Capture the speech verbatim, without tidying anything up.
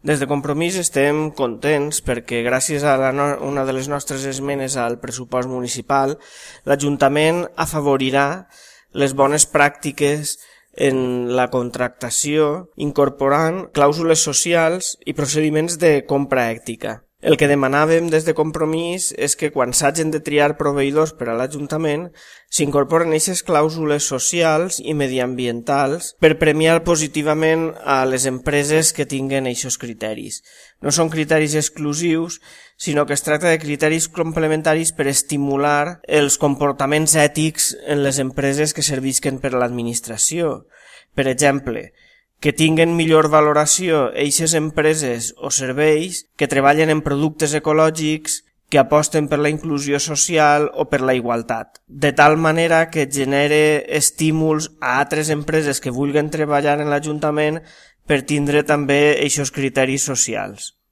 Des de Compromís estem contents perquè gràcies a la no una de les nostres esmenes al pressupost municipal, l'Ajuntament afavorirà les bones pràctiques en la contractació incorporant clàusules socials i procediments de compra ètica. El que demanàvem des de Compromís és que quan s'hagin de triar proveïdors per a l'Ajuntament s'incorporen aquestes clàusules socials i mediambientals per premiar positivament a les empreses que tinguen aquests criteris. No són criteris exclusius, sinó que es tracta de criteris complementaris per estimular els comportaments ètics en les empreses que servisquen per a l'administració. Per exemple, que tinguen millor valoració eixes empreses o serveis que treballen en productes ecològics, que aposten per la inclusió social o per la igualtat, de tal manera que genere estímuls a altres empreses que vulguin treballar en l'Ajuntament per tindre també eixos criteris socials.